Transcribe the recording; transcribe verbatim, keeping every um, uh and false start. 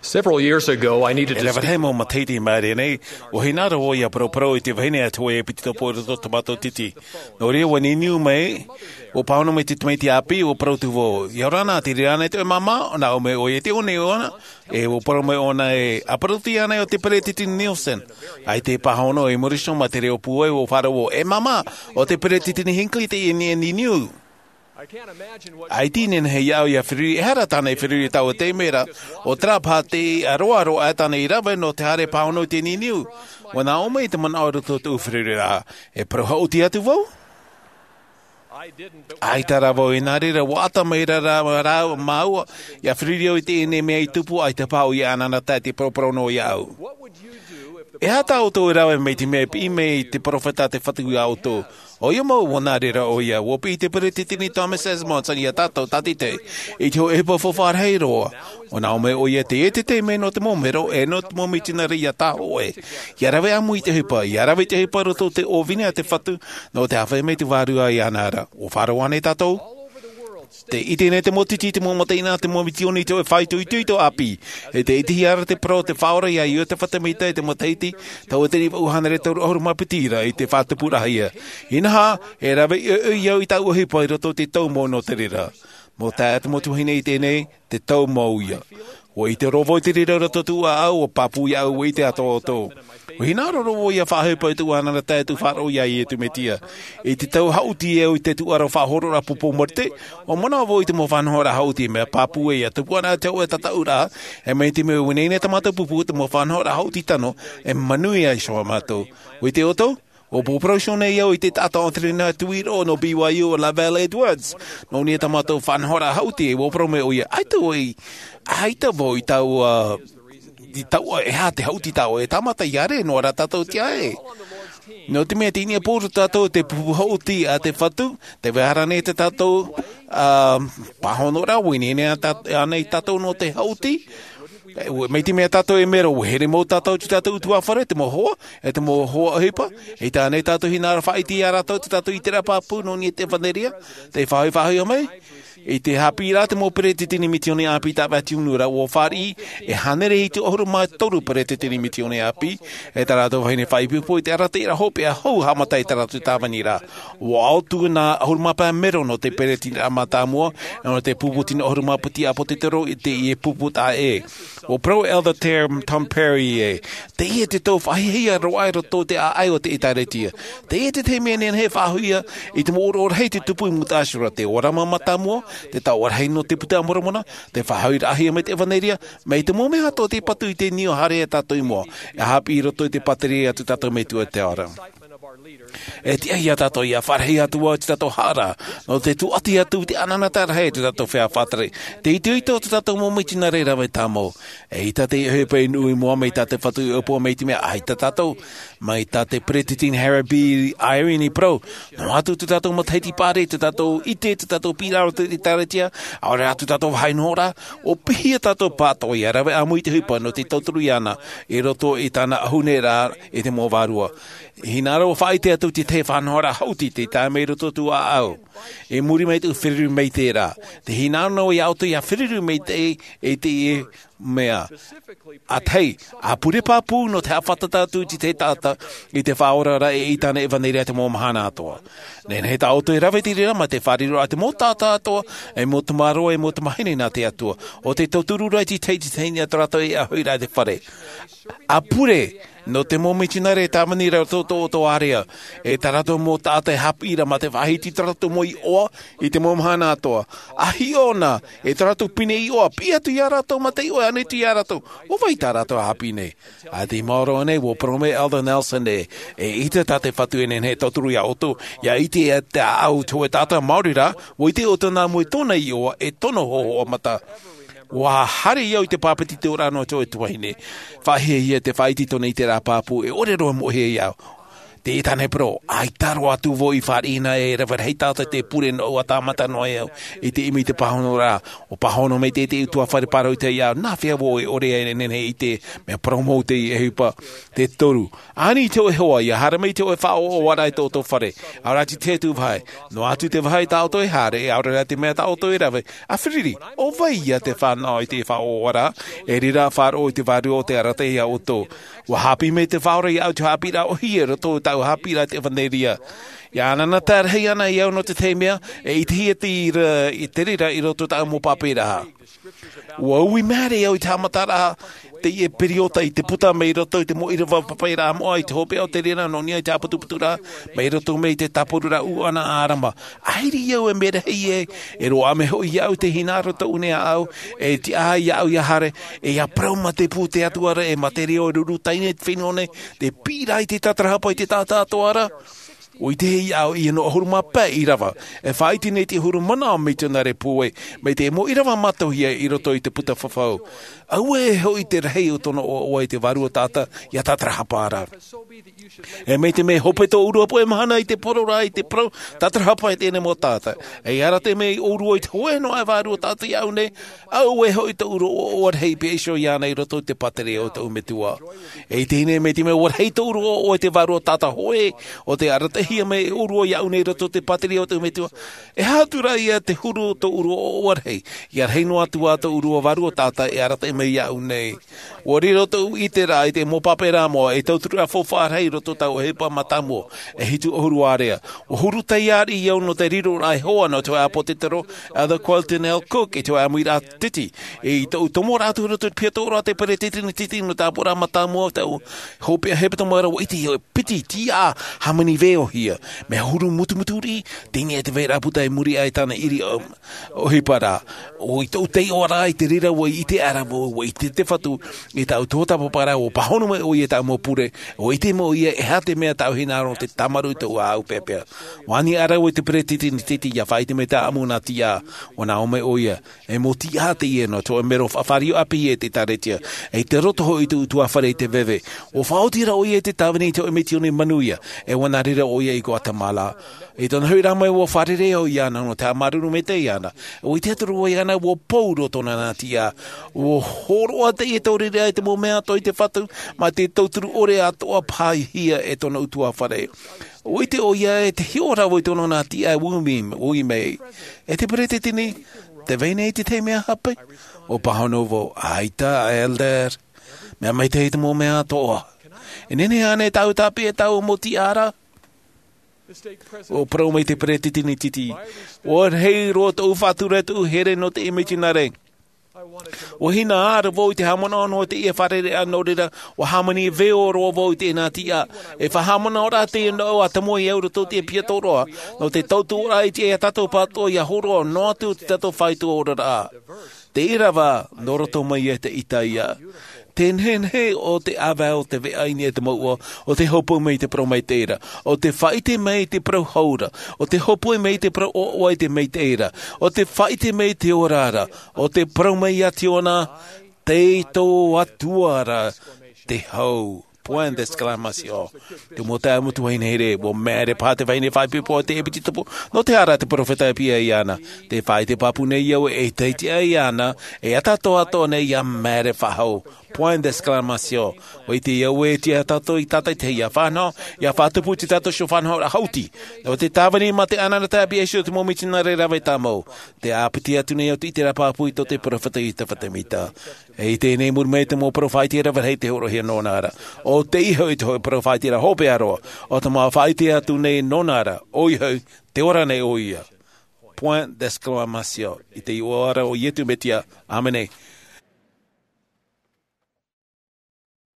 Several years ago, I needed to E rave rahi mau matahiti i maʻiri aʻe nei, ʻua hinaʻaro vau ʻia paraparau i te vahine a te hōʻē piti topo i roto o tō mātou titi. Nō reira, ʻua niniu mai, ʻua pāhono mai te tamaiti ʻāpī, ʻua parau atu vau, ʻia ora na, te reira ānei tō ʻoe māmā? ʻUa nā ʻō mai ʻoia, tē ʻō nei ʻōna, e ʻua parau mai ʻōna ē, ʻa parau atu ānei ʻo te peretiteni Nelson. ʻAita e pāhono e Morrison mā te reo pūai, ʻua faʻaroʻo vau, e māmā, ʻo te peretiteni Hinckley teie e niniu. ʻAita e nehenehe iāʻu ʻia feruri, e aha tāna i feruri i taua taime ra, ʻo terā paha te aroaro ʻaita tāna i rave nō te haere pāhono i te niniu. ʻUa nā ʻō mai te manaʻo i roto i tōʻu feruri ra, e parau haʻuti atu vau? ʻAita rā vau, i nā reira, ʻua ʻata mai ra, ra, ra māua, ʻia feruri au i teie nei mea i tupu, ʻaita paha ʻoia e anaanatae, te paraparau noa iāʻu. E aha tā ʻoutou e rave mai i te mea e piʻi mai te perofeta a te Fatu iā ʻoutou? ʻOia mau, ʻua nā reira ʻoia, ʻua piʻi te peretiteni Thomas S. Monson iā tātou, tātaʻitahi, i te hōʻē ʻohipa faufaʻa rahi roa. ʻUa nā ʻō mai ʻoia, teie te taime nō te mau mero, e nō te mau mitionare ʻia tāhōʻē. ʻIa rave ʻāmui i te ʻohipa, ʻia rave i te ʻohipa i roto i te ʻōvini a te Fatu, nō te haʻavāhi mai te Vārua iāna ra. ʻUa faʻaroʻo ānei tātou? Tē ʻite nei te mau titi, te mau mataʻeinaʻa, te mau misioni, te hōʻē faʻaitoitoito ʻāpī. E tē ʻitehia ra te parau o te Faʻaora iā Iosepha Semita i te matahiti, tauatini vaʻu hānere toru ʻahuru mā piti ra i te faʻatupuraʻahia. Inaha, e rave ʻoiʻoi au i tāʻu ʻohipa i roto i te tau mau nō te reira. Mau taeaʻe, te mau tuahine i teie nei, te tau mau ïa. ʻUa ʻite roa vau i te reira i roto i tōʻu ʻāʻau, ʻua pāpū iāʻu, ʻua ʻite atoʻa ʻoutou. ʻUa hinaʻaro roa vau ʻia faʻaʻohipa i tōʻu anaanatae, tōʻu faʻaroʻo iā Iesu Mesia. I te tau haʻuti au i te tuʻaro faʻahoro ra pupu Mōrite, ʻua manaʻo vau i te mau faʻanahoraʻa haʻuti, mea pāpū ē, ʻia tupu ana te hōʻē tataʻuraʻa, e mai te mea ʻua ineine tā mātou pupu, te mau faʻanahoraʻa haʻuti tano, e manuia iho ā mātou. ʻUa ʻite ʻoutou? ʻUa pōpōroso nei au i te taʻata o te rena tuiroʻo nō B Y U, ʻo LaVell Edwards. Nō niʻa i tā mātou faʻanahoraʻa haʻuti, ʻua parau mai ʻoia, ʻaita vau i, ʻaita vau i taua, i taua, e aha te haʻuti tāua, e tāmata ʻia ʻere noa rā tātou i te ʻāʻē. Nō te mea tei niʻa pō roa tātou i te pupu haʻuti a te Fatu, tē vai ra nei tā tātou, ā, pāhonoraʻa, ʻua ineine ānei tātou nō te haʻuti? E, ʻua, mai te mea tātou e mero, ʻua here mau tātou i tō tātou ʻutuāfare, te mau hoa, e te mau hoa ʻohipa, e ʻaita ānei tātou hinaʻaro faʻaʻite iā rātou i tō tātou ʻiteraʻa pāpū nō niʻa i te ʻEvaneria, tē faʻahoʻi, faʻahoʻi mai. I te haʻapiʻiraʻa a te mau peretiteni misioni ʻāpī tāʻu vau i te unu ra, ʻua fāriʻi e hānere hitu ʻahuru mā toru peretiteni misioni ʻāpī, e tā rātou vahine faʻaipoipo i te arataʻiraʻa hopeʻa hou haʻamata i tā rātou tāvini ra. ʻUa ʻautū nā ʻahuru mā pae mero nō te peretiteni mātāmua, e nō te pupu tino ʻahuru mā piti ʻāpōsetolo i teie pupu taʻa ʻē. ʻUa parau Elder Ter-, Tom Perry ē, teie te tau faʻahiahia roa i roto i te ʻāʻai o te ʻĒtārētia. Teie te tahi mea nehenehe e faʻahoʻi ia i te mau ʻōroʻa rahi tei tupu i mūtaʻa iho ra, te ʻōrama mātāmua, te taoʻa rahi nō te Buka a Moromona, te faʻahoʻiraʻahia mai te ʻEvaneria, mai te mau mea atoʻa tei patu i te niu haere ia tātou i mua, e haʻapiʻi i roto i te pātireia a tō tātou Metua i te ao ra. E tiʻa ia tātou ʻia fāriʻi atu ā i tō tātou haʻaraʻa, nō te tūʻati atu i te anaanatae rahi i tō tātou feiā faʻatere. Te itoito o tō tātou mau mitionare rave tāmau. ʻEita te ʻohipa i nuʻu i mua mai tā te Fatu i ʻōpua mai te mea ʻaita tātou. Mai tā te peretiteni Harold B. Eyring i parau, noa atu tō tātou matahiti pārahi, tō tātou ʻite, tō tātou piʻiraʻa i te ʻĒtārētia, ʻaore rā tō tātou vāhi nohoraʻa, ʻua piʻi ia tātou pāʻatoʻa ʻia rave ʻāmui i te ʻohipa nō te tauturu iāna, i roto i tāna ʻahune ra i te mau vārua. Hinaʻaro faʻaʻite atu i te tahi faʻanahoraʻa haʻuti tei tae mai i roto i tōʻu ʻāʻau. I muri mai i tōʻu feruri maitaʻi ra. Tē hinaʻaro nei au iā ʻoutou ʻia feruri maitaʻi i teie mea. ʻA tahi, ʻa pure pāpū nō te haʻafātata atu i te tahi taʻata i te Faʻaora ra e i tāna ʻEvaneria i te mau mahana atoʻa. Nehenehe tā ʻoutou e rave i te reira mā te fāriʻiraʻa a te mau taʻata atoʻa, e mau tamāroa, e mau tamāhine nā te Atua. ʻO te tauturu ra i te tahi, te tahi i niʻa tō rātou e ʻāfaʻiraʻa i te fare. ʻA pure, nō te mau mitionare e tāvini ra i roto i tō ʻoutou ārea, e tā rātou mau taʻata e haʻapiʻi ra mā te faʻahiti i tō rātou mau iʻoa i te mau mahana atoʻa. ʻA hiʻo na, e tō rātou pine iʻoa, piʻi atu iā rātou mā te iʻoa e ani atu iā rātou. ʻO vai tā rātou e haʻapiʻi nei? ʻA tei maoro nei, ʻua parau mai Elder Nelson ē, eʻita tā te Fatu e nehenehe e tauturu iā ʻoutou, ʻia ʻite e te ʻāʻau te hōʻē taʻata maori rā, ʻua ʻite ʻoutou nā mua i tōna iʻoa, e tōna hōhoʻa mata. ʻUa haere au i te pāpeti tōraʻa nō te hōʻē tuahine. Faʻahiahia te faʻaʻite i tōna ʻiteraʻa pāpū, e ʻore roa e moʻehia iāʻu. Te tāne poro, ʻaita roa atu vau i fāriʻi na e rave rahi tātou te pure nō ʻua tāmata noa e au i te ʻimi i te pāhono rā. ʻUa pāhono mai te, te utuafare pāroita iāʻu, nā hea vau e ʻore ai e nehenehe i te mea parau mau te ʻohipa. Te toru, ani te hōʻē hoa, ʻia haere mai te hōʻē faʻaʻoʻoraʻa i tō ʻoutou fare. ʻAore atu te vāhi, noa atu te vāhi tā ʻoutou e haere, ʻaore rā te mea tā ʻoutou e rave. ʻA Firipi, ʻo vai ia te fānaʻo i te faʻaʻoʻoraʻa, e riro faʻaroʻo i te vārua o tē arataʻi iā ʻoutou? ʻUa haʻapiʻi mai te Faʻaora iāʻu te haʻapiʻiraʻa ʻōhie i roto i tāʻu haʻapiʻiraʻa i te ʻevanelia. ʻIa ʻanaʻanatae rahi ana au nō te tahi mea, e ʻitehia te reira, i te reira i roto i tāʻu mau pāpaʻiraʻa. ʻUa ui maere au i te haʻamataraʻa, teie periota i te puta mai roto i te mau ʻīrava pāpaʻiraʻa moʻa i te hopeʻa o te reira nō niʻa i te ʻāputuputuraʻa, mai roto mai i te tāporuraʻa ʻūʻana a ʻĀrama. ʻAita au e mea rahi e, e roaʻa mai hoʻi iāʻu te hinaʻaro tōʻu nei ʻāʻau, e tiʻa iāʻu ʻia haere, e ʻia parau mā te pū te Atua ra, e mā te reo e ruru taime i te fenua nei, te piʻiraʻa i te tātarahapa i te taʻata atoʻa ra. ʻUa ʻite iāʻu ʻia noa ʻahuru mā pae ʻīrava. E faʻaʻite nei te ʻahuru manaʻo mitionare puai, mai te mau ʻīrava mātauhia i roto i te puta fafau. Auē hoʻi te rahi o tōna ʻoaʻoa i te vārua taʻata ʻia tātarahapa ra. E mai te mea hope tō ʻōrua puai mahana i te poro rā i te parau tātarahapa i teie nei mau taʻata. E arataʻi mai ʻōrua i te hōʻē noa e vārua taʻata iāʻu nei, auē hoʻi tō ʻōrua ʻoaʻoa rahi i peʻe iho iāna i roto i te pātireia o tōʻu Metua. E ʻite nei mai te mea ʻua rahi tō ʻōrua ʻoaʻoa i te vārua taʻata hōʻē, ʻo tē arataʻihia mai e ʻōrua iāʻu nei i roto i te pātireia o tōʻu Metua. E aha atu rā ia te huru o tō ʻōrua ʻoaʻoa rahi, ʻia rahi noa atu ā tō ʻōrua vārua taʻata e arataʻi mai iāʻu nei. ʻUa riro tōʻu ʻiteraʻa i te mau pāpaʻiraʻa moʻa, e tauturu ā faufaʻa rahi i roto i tāʻu ʻohipa mātāmua, e hitu ʻahuru ārea. ʻUa huru taiāraʻi au nō te riroraʻa e hoa nō te hōʻē ʻāpōsetolo, Elder Carlton L. Cook, i te hōʻē ʻāmuiraʻa titi. I tōʻu tomo ra atu i roto i te piha tōroa te peresideni titi nō te ʻāpoʻoraʻa mātāmua, tāʻu hopeʻa hepetoma ra, ʻua ʻite au e piti tiʻa hāmani veo hia. Mea huru mutumuturiʻi, teie te vairaʻa puta i muri aʻe i tāna ʻiri, um, ʻohipa ra. ʻO i tōʻu taiʻoraʻa i te reira ʻua ʻite aʻera vau, ʻua ʻite te Fatu, i tāʻu tuatāpaparaʻa, ʻua pāhono mai ʻoia i tāʻu mau pure, ʻua ʻite mai ʻoia e aha te mea tāʻu hinaʻaro te tāmarū i tōʻu ʻāʻau peʻapeʻa. ʻUa ani aʻera vau i te peresideni titi ʻia faʻaʻite mai tāʻu mau nā tiʻa, ʻua nā ʻō mai ʻoia, e mau tiʻa teie nō te hōʻē mero faʻafāriu ʻāpī e te ʻĒkālesia, e te roto hoʻi i te ʻutuāfare i te veve. ʻUa faʻaoti ra ʻoia i te tāvini i te hōʻē misiōni manuia, e ʻua nā reira ʻoia i Guatemala. I tōna hoʻi rā mai ʻua fārerei au iāna nō te haʻamāuruuru maitaʻi iāna. ʻUa ʻite atu ra vau iāna ʻua pau roa tōna nā tiʻa. ʻUa hōroʻa teie taureʻareʻa i te mau mea atoʻa i te Fatu, mā te tauturu ʻore atoʻa pāhia e tōna ʻutuāfare. ʻUa ʻite ʻoia e te hiʻo ra vau i tōna nā tiʻa e ui mai, ui mai. E te peresideni, tē vai nei te tahi mea hape? ʻUa pāhono vau, ʻaita, Elder. Mea maitaʻi te mau mea atoʻa. E nehenehe ānei tāʻu tāpeʻa i tāʻu mau tiʻa ra? ʻUa parau mai te peresideni titi, ʻua rahi roa tōʻu faʻatura, tōʻu here nō te mitionare. ʻUa hinaʻaro vau i te haʻamanaʻo nō teie fārereiraʻa, nō reira, ʻua hāmani veo roa vau i teie nā tiʻa. E faʻahaʻamanaʻoraʻa teie nō ʻua tamoʻe au i roto i te piha tōroa, nō te tautuaraʻa i te, iā tātou pāʻatoʻa ʻia hōroʻa noa atu i tō tātou faito oraraʻa. Te ʻīrava, nō roto mai ia te ʻĪtaia. Te nehenehe o te ʻāvae o te veʻa i niʻa i te mouʻa, ʻo tē hōpoi mai i te parau maitaʻi ra, ʻo tē faʻaʻite mai i te parau hau ra, ʻo tē hōpoi mai i te parau ʻoaʻoa i te maitaʻi ra, ʻo tē faʻaʻite mai i te ora ra, ʻo tē parau mai iā Tiona, tei tō Atua ra te hau. Point d'exclamation. Te mau taeaʻe Metua, e nehenehe, ʻua māere paha te vahine faʻaipoipo i te ʻēpeti tupu, nō te aha rā te peropheta e piʻi iāna? Tē faʻaʻite pāpū nei au e ʻaita e tiʻa iāna, e ʻataʻatoʻa atoʻa nei ʻia māere faʻahou. Point d'exclamation. ʻUa ʻite au e tiʻa tātou i tātaʻitahi ʻia faʻanaho, ʻia faʻatupu i tō tātou iho faʻanahoraʻa hauti. Nō te tāvini mā te ʻanaʻanatae a Iesu te mau mitionare rave tāmau. Tē ʻāpiti atu nei au i te ʻiteraʻa pāpū i tō te peropheta Iosepha Semita. E i teie nei, muri mai te mau parau faʻaʻite rave rahi tei hōroʻahia nōna ra. ʻO tei iho i te hōʻē parau faʻaʻite ra hopeʻa roa. ʻO te mau faʻaʻite atu nei nōna ra. ʻOia hoʻi, tē ora nei ʻoia. Point d'exclamation. I te iʻoa ra o Iesu Mesia. ʻĀmene.